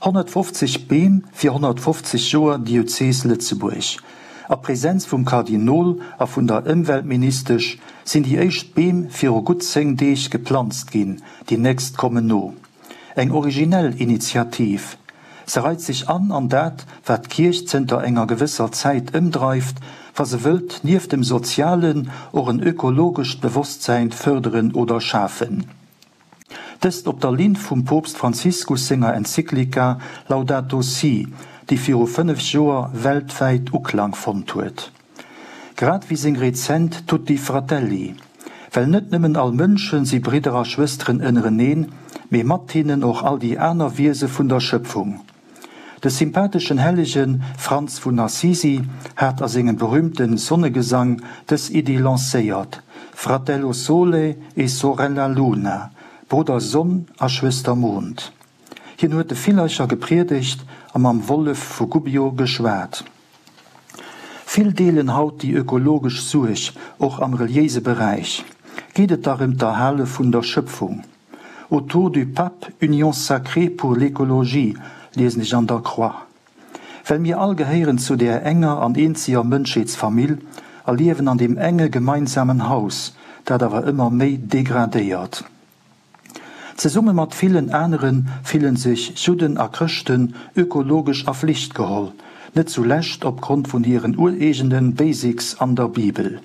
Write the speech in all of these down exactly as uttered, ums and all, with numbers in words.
Honnertfofzeg Beem fir honnertfofzeg Joer Diözees Lëtzebuerg. A Presenz vum Kardinol a vun der Ëmweltministesch sinn déi éischt Beem viru gutt zéng Deeg geplanzt ginn, déi nächst kommen no. Eng originell Initiativ. Se reit sech an an dat, wat d'Kierch zënter enger gewësser Zäit ëmdreift, wa se wëllt nieft dem sozialen och en ökologescht Bewosstsäin fërderen oder schafen. Dëst op der Linn vum Poopst Franziskus senger Enzyklika Laudato Si, déi viru fënnef Joer weltwäit Uklang fonnt huet. Grad wéi seng rezent Tutti Fratelli. Well net nëmmen all Mënsche si Bridder a Schwësteren ënnereneen, mee mat hinnen och all déi aner Wiese vun der Schëpfung. De sympatheschen Hellege Franz vun Assisi hat a sengem berüümte Sonnegesang dës Iddi lancéiert, Fratello Sole e sorella Luna, Brudder Sonn a Schwëster Mond. Hien huet de Villercher gepriedegt a mam Wollef vu Gubbio geschwat. Vill deelen haut déi ökologesch Suerg, och am reliéise Beräich geet et dach ëm d'Erhale vun der Schëpfung. Autour du Pape, union sacrée pour l'écologie, liesen ech an der Croix. Well mir all gehéieren zu där enger an eenzeger Mënschheetsfamill a liewen an deem enge gemeinsamen Haus, dat awer ëmmer méi degradéiert. Zesumme mat villen anere fillen sech Judden a Chrëschten ökologesch a Flicht geholl, net zulescht opgrond vun hiren ureegene Basics an der Bibel.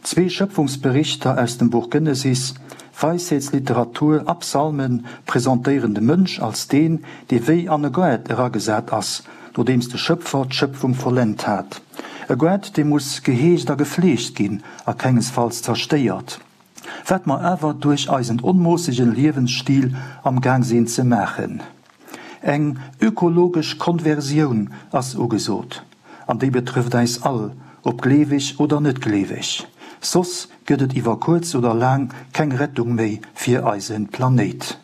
Zwee Schëpfungsberichter aus dem Buch Genesis, Weisheetsliteratur a Psalme presentéieren de Mënsch als deen, dee wéi an e Goart eragesat ass, nodeems de Schëpfer d'Schëpfung vollent hat. E Goart, dee muss geheegt a gefleegt ginn a kengesfalls zerstéiert. Wat mer awer duerch eisen onmoossegen Liewensstil am Gaang sinn ze maachen. Eng ökologesch Konversioun ass ugesot, an déi betrëfft eis all, ob gleeweg oder net gleeweg. Soss gëtt et iwwer kuerz oder laang keng Rettung méi fir eise Planéit.